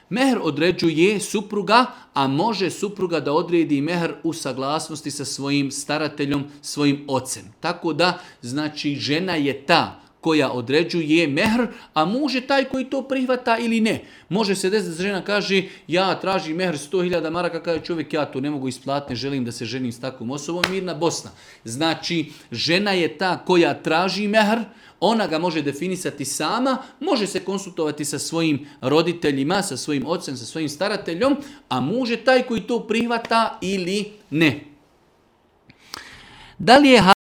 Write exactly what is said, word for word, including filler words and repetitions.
Mehr određuje supruga, a može supruga da odredi mehr u saglasnosti sa svojim starateljom, svojim ocem. Tako da, znači, žena je ta koja određuje mehr, a muž je taj koji to prihvata ili ne. Može se desiti da žena kaže, ja tražim mehr sto hiljada maraka, kaže čovjek, ja to ne mogu isplatiti, ne želim da se ženim s takvom osobom, mirna Bosna. Znači, žena je ta koja traži mehr, ona ga može definisati sama, može se konsultovati sa svojim roditeljima, sa svojim ocem, sa svojim starateljom, a muž je taj koji to prihvata ili ne. Da li je